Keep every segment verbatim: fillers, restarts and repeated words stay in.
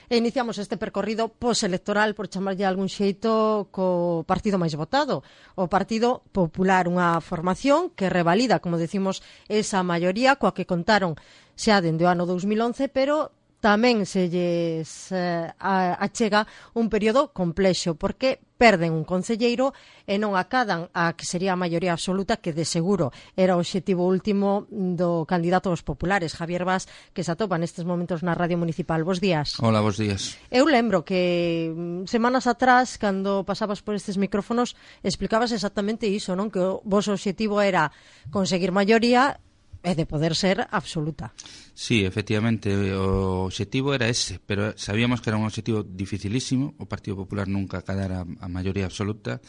E iniciamos este percorrido postelectoral, por chamarlle de algún xeito, co partido máis votado, o Partido Popular, unha formación que revalida, como decimos, esa maioría coa que contaron xa dende o ano dous mil once, pero tamén se lles eh, achega un período complexo, porque perden un concelleiro e non acadan a que sería a maioría absoluta, que de seguro era o obxectivo último do candidato aos populares, Javier Bas, que se atopa nestes momentos na Radio Municipal. Bos días. Hola, bos días. Eu lembro que semanas atrás, cando pasabas por estes micrófonos, explicabas exactamente iso, non? Que o voso obxectivo era conseguir maioría e de poder ser absoluta. Sí, efectivamente, o obxectivo era ese, pero sabíamos que era un obxectivo dificilísimo, o Partido Popular nunca acadara a maioría absoluta,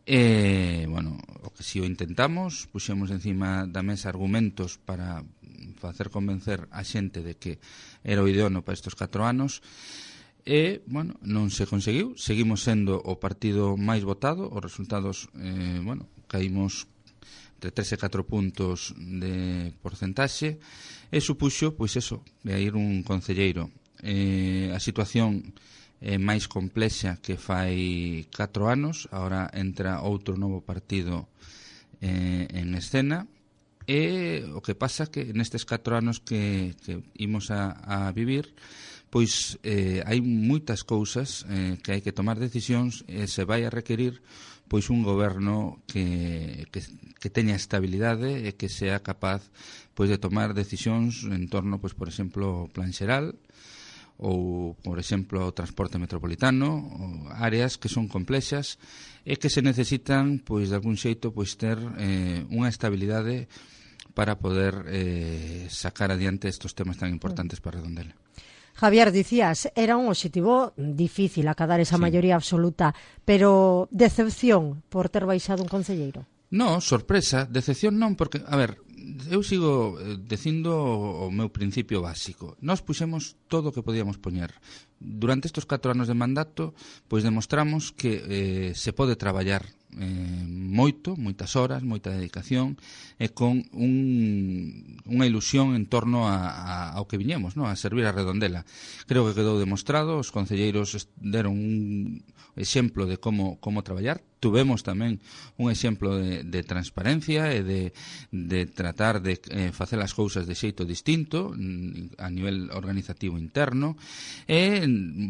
e, bueno, o que si o intentamos, puxemos encima da mesa argumentos para facer convencer a xente de que era o idóneo para estes catro anos, e, bueno, non se conseguiu, seguimos sendo o partido máis votado, os resultados, eh, bueno, caímos entre tres e catro puntos de porcentaxe, e supuxo, pois eso, de ir un concelleiro. Eh, a situación é máis complexa que fai catro anos, agora entra outro novo partido eh, en escena, e o que pasa que nestes catro anos que, que imos a, a vivir, pois eh, hai moitas cousas eh, que hai que tomar decisións, e se vai a requerir pois un goberno que, que, que teña estabilidade e que sea capaz pois de tomar decisións en torno, pois por exemplo, ao plan xeral, ou, por exemplo, ao transporte metropolitano, ou áreas que son complexas e que se necesitan, pois de algún xeito, pois ter eh, unha estabilidade para poder eh, sacar adiante estos temas tan importantes para Redondela. Javier, dicías, era un obxectivo difícil acadar esa sí. maioría absoluta, pero decepción por ter baixado un concelleiro? No, sorpresa, decepción non, porque, a ver, eu sigo dicindo o meu principio básico. Nós puxemos todo o que podíamos poñer. Durante estes catro anos de mandato, pois demostramos que eh, se pode traballar eh, moito, moitas horas, moita dedicación, e con un, unha ilusión en torno a, a, ao que viñemos, no? A servir a Redondela. Creo que quedou demostrado, os concelleiros deron un exemplo de como, como traballar. Tuvemos tamén un exemplo de, de transparencia e de, de tratar de eh, facer as cousas de xeito distinto a nivel organizativo interno, e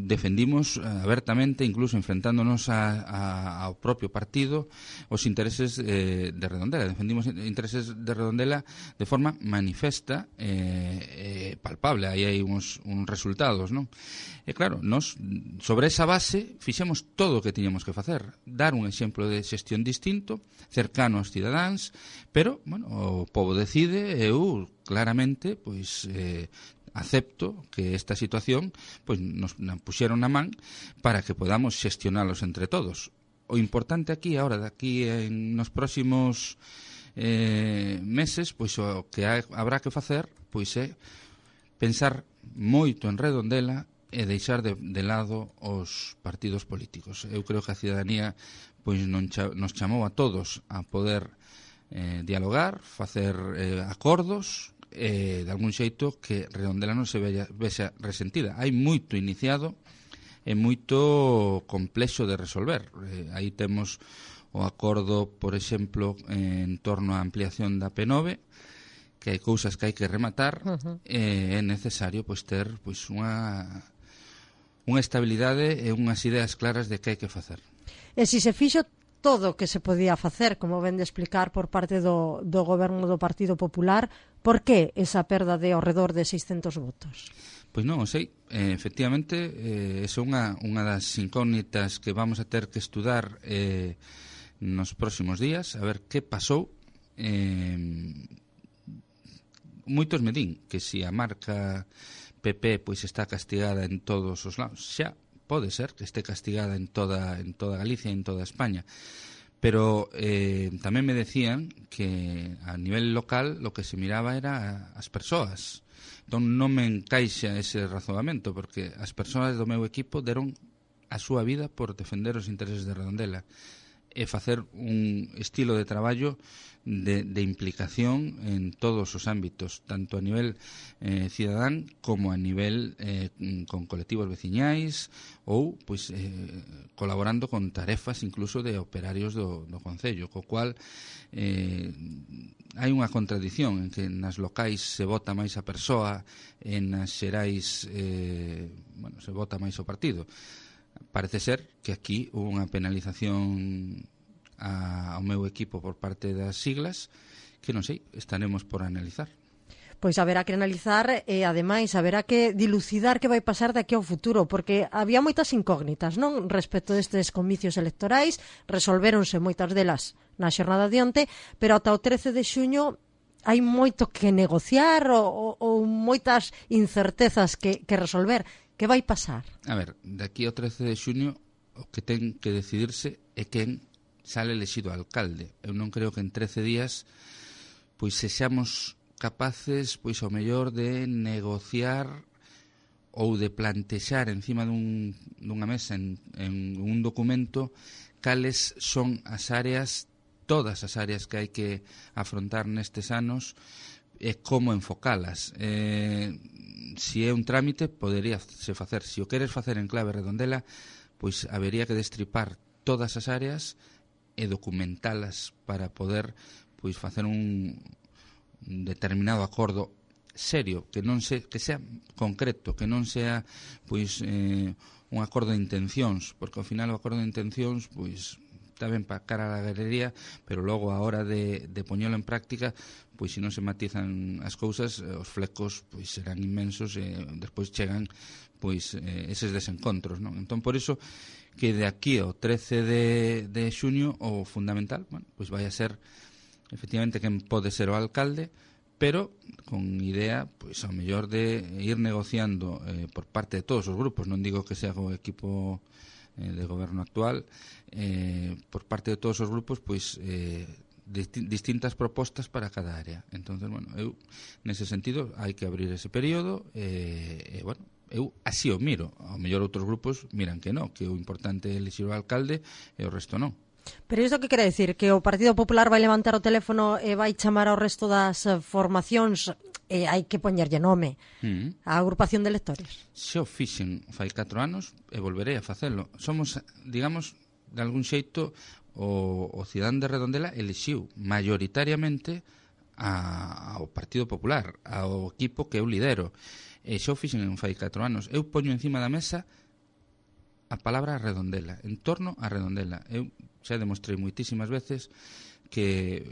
defendimos abertamente, incluso enfrentándonos a, a, ao propio partido, os intereses eh, de Redondela. Defendimos intereses de Redondela de forma manifesta e eh, eh, palpable. Aí hai uns, uns resultados, non? E claro, nos sobre esa base fixemos todo o que tiñamos que facer, dar un exemplo de xestión distinto, cercano aos cidadáns, pero, bueno, o povo decide, e eu claramente, pois, eh, acepto que esta situación pois nos puxeron na man para que podamos xestionalos entre todos. O importante aquí, agora, daqui en nos próximos eh, meses, pois o que ha, habrá que facer pois é pensar moito en Redondela e deixar de, de lado os partidos políticos. Eu creo que a cidadanía pois non cha, nos chamou a todos a poder eh, dialogar, facer eh, acordos, e de algún xeito que Redondela non se vexa, vexa resentida. Hai moito iniciado e moito complexo de resolver. Eh, aí temos o acordo, por exemplo, en torno á ampliación da P nove, que hai cousas que hai que rematar, uh-huh. e é necesario pois ter pois unha unha estabilidade e unhas ideas claras de que hai que facer. E se se fixo todo o que se podía facer, como ven de explicar por parte do, do goberno do Partido Popular, por que esa perda de ao redor de seiscentos votos? Pois non, sei, eh, efectivamente, eh, é unha, unha das incógnitas que vamos a ter que estudar eh, nos próximos días, a ver que pasou. Eh, moitos me din que se a marca P P pois está castigada en todos os lados, xa pode ser que este castigada en toda en toda Galicia e en toda España, pero eh, tamén me decían que a nivel local lo que se miraba era as persoas. Entón non me encaixa ese razonamento, porque as persoas do meu equipo deron a súa vida por defender os intereses de Redondela, e facer un estilo de traballo de, de implicación en todos os ámbitos, tanto a nivel eh, cidadán como a nivel eh, con colectivos veciñais ou pois, eh, colaborando con tarefas incluso de operarios do, do Concello, co cual eh, hai unha contradición en que nas locais se vota máis a persoa e nas xerais eh, bueno, se vota máis o partido. Parece ser que aquí hubo unha penalización a, ao meu equipo por parte das siglas que non sei, estaremos por analizar. Pois haberá que analizar e, ademais, haberá que dilucidar que vai pasar daqui ao futuro, porque había moitas incógnitas, non? Respecto destes comicios electorais, resolvéronse moitas delas na xornada de onte, pero ata o trece de xuño hai moito que negociar ou, ou moitas incertezas que, que resolver. Que vai pasar? A ver, daqui ao trece de xuño o que ten que decidirse é quen sale elexido alcalde. Eu non creo que en trece días pois sexamos capaces pois ao mellor de negociar ou de plantexar encima dun, dunha mesa en, en un documento cales son as áreas, todas as áreas que hai que afrontar nestes anos e como enfocalas. Eh, si é un trámite, podería se facer. Se o queres facer en clave redondela, pois habería que destripar todas as áreas e documentalas para poder pois facer un, un determinado acordo serio, que non se, que sea concreto, que non sea pois eh, un acordo de intencións, porque ao final o acordo de intencións pois está ben para cara a la galería, pero logo a hora de, de poñelo en práctica, pois se non se matizan as cousas, os flecos pois serán inmensos e despois chegan pois eh, eses desencontros, non? Entón, por iso que de aquí ao trece de, de xuño o fundamental, bueno, pois vai a ser efectivamente quen pode ser o alcalde, pero con idea, pois ao mellor de ir negociando eh, por parte de todos os grupos, non digo que sea o equipo eh, de goberno actual, eh, por parte de todos os grupos, pois eh, disti- distintas propostas para cada área. Entonces, bueno, eu nese sentido hai que abrir ese período e, eh, eh, bueno, eu así o miro. Ao mellor outros grupos miran que non, que o importante é elixir o alcalde e o resto non. Pero isto que quere decir? Que o Partido Popular vai levantar o teléfono e vai chamar ao resto das formacións e hai que poñerlle nome Mm. á agrupación de electores? Se o fixen fai catro anos e volverei a facelo. Somos, digamos, de algún xeito o, o cidadán de Redondela elixiu mayoritariamente a, ao Partido Popular, ao equipo que eu lidero. E xa o fixen en fai catro anos. Eu poño encima da mesa a palabra Redondela, en torno a Redondela. Eu xa demostrei moitísimas veces que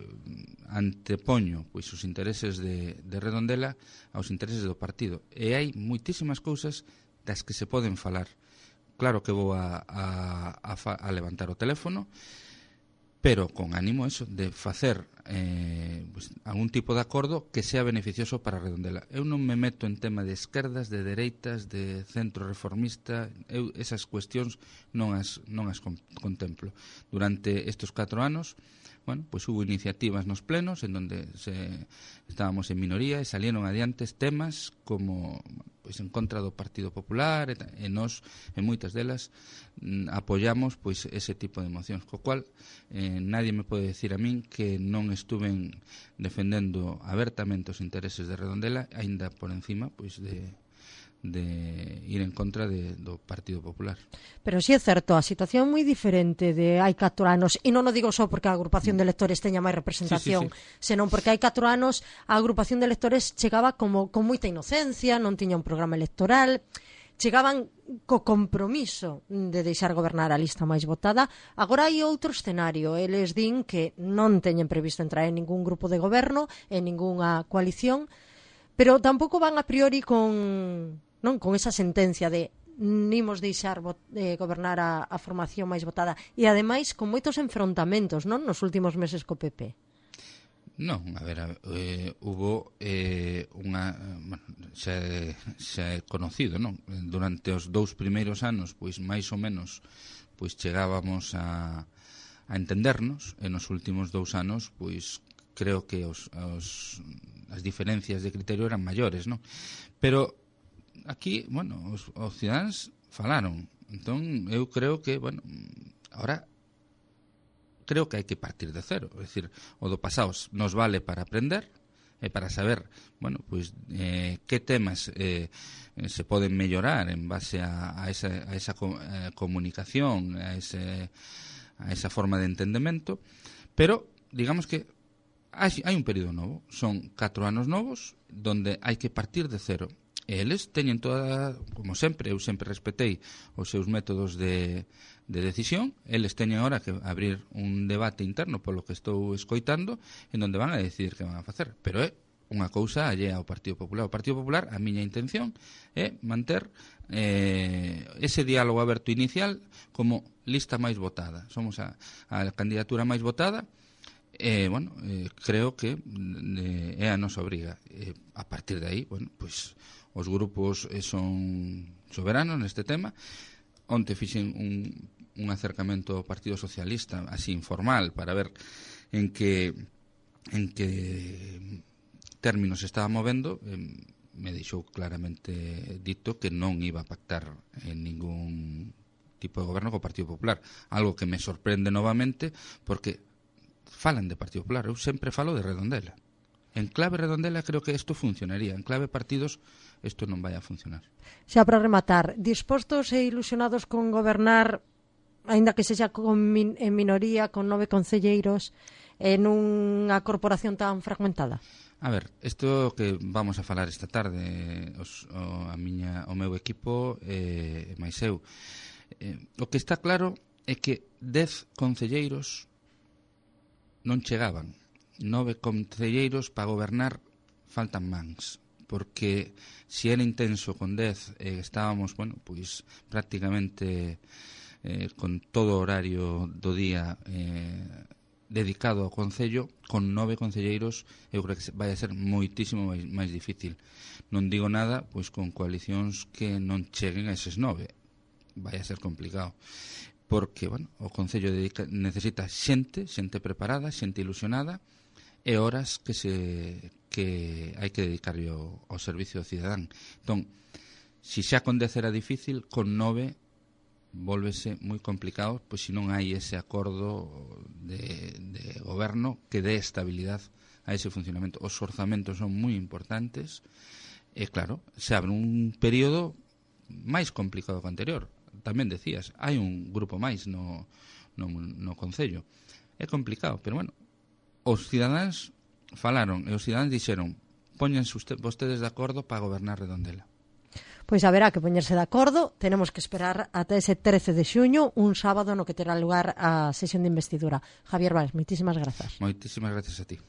antepoño pois os intereses de, de Redondela aos intereses do partido. E hai moitísimas cousas das que se poden falar. Claro que vou a, a, a, fa, a levantar o teléfono, pero con ánimo eso de facer eh, pues, algún tipo de acordo que sea beneficioso para Redondela. Eu non me meto en tema de esquerdas, de dereitas, de centro reformista. Eu esas cuestións non as, non as contemplo. Durante estes catro anos, bueno, pues hubo iniciativas nos plenos en donde se, estábamos en minoría e salieron adiante temas como pois en contra do Partido Popular e, e nós, en moitas delas, mm, apoyamos pois ese tipo de mocións, co cual eh, nadie me pode decir a min que non estuven defendendo abertamente os intereses de Redondela, aínda por encima pois de de ir en contra de, do Partido Popular. Pero si sí é certo, a situación é moi diferente de hai catro anos, e non o digo só porque a agrupación de electores teña máis representación, sí, sí, sí. senón porque hai catro anos a agrupación de electores chegaba como con moita inocencia, non tiña un programa electoral, chegaban co compromiso de deixar gobernar a lista máis votada. Agora hai outro escenario, eles din que non teñen previsto entrar en ningún grupo de goberno, en ningunha coalición, pero tampouco van a priori con non con esa sentencia de nimos deixar vot, eh, gobernar a, a formación máis votada e ademais con moitos enfrontamentos, non, nos últimos meses co P P. Non, a ver, eh, hubo eh, unha, bueno, xa, xa é conocido, non? Durante os dous primeiros anos, pois máis ou menos, pois chegábamos a, a entendernos, e nos últimos dous anos, pois creo que os, os, as diferencias de criterio eran maiores, non? Pero aquí, bueno, os, os cidadáns falaron. Entón, eu creo que, bueno, ahora creo que hai que partir de cero. É dicir, o do pasado nos vale para aprender e para saber, bueno, pues, eh, que temas eh, se poden mellorar en base a, a esa, a esa eh, comunicación, a, ese, a esa forma de entendemento, pero digamos que hai, hai un período novo, son catro anos novos donde hai que partir de cero. E eles teñen toda, como sempre, eu sempre respetei os seus métodos de, de decisión, eles teñen agora que abrir un debate interno polo que estou escoitando, en donde van a decidir que van a facer. Pero é unha cousa allea ao Partido Popular. O Partido Popular, a miña intención é manter eh, ese diálogo aberto inicial como lista máis votada. Somos a, a candidatura máis votada, e, bueno, eh, creo que eh, é a nosa obriga. Eh, a partir de aí, bueno, pois, os grupos eh, son soberanos neste tema. Onte fixen un, un acercamento ao Partido Socialista, así informal, para ver en que en que términos se estaba movendo. Eh, me deixou claramente dito que non iba a pactar en ningún tipo de goberno co Partido Popular, algo que me sorprende novamente, porque falan de Partido Popular. Eu sempre falo de Redondela. En clave Redondela creo que isto funcionaría. En clave partidos isto non vai a funcionar. Xa para rematar, dispostos e ilusionados con gobernar, aínda que sexa con min, en minoría, con nove concelleiros, en unha corporación tan fragmentada? A ver, isto que vamos a falar esta tarde, os, o, a miña, o meu equipo e eh, máis eu, eh, o que está claro é que dez concelleiros non chegaban. Nove concelleiros para gobernar faltan mans, porque se era intenso con dez, eh, estábamos, bueno, pois prácticamente eh, con todo o horario do día eh, dedicado ao concello, con nove concelleiros eu creo que vai a ser moitísimo máis, máis difícil. Non digo nada pois con coalicións que non cheguen a eses nove, vai a ser complicado, porque, bueno, o concello dedica, necesita xente, xente preparada, xente ilusionada, e horas que se que hai que dedicarlle ao, ao servicio ao cidadán. Entón, se xa con dez era difícil, con nove volvese moi complicado, pois se non hai ese acordo de, de goberno que dé estabilidade a ese funcionamento. Os orzamentos son moi importantes e, claro, se abre un período máis complicado que o anterior. Tamén decías, hai un grupo máis no, no, no concello. É complicado, pero, bueno, os cidadáns falaron e os cidadáns dixeron póñense usted, vostedes de acordo para gobernar Redondela. Pois haberá que poñerse de acordo. Tenemos que esperar ata ese trece de xuño, un sábado no que terá lugar a sesión de investidura. Javier Valls, moitísimas grazas. Moitísimas grazas a ti.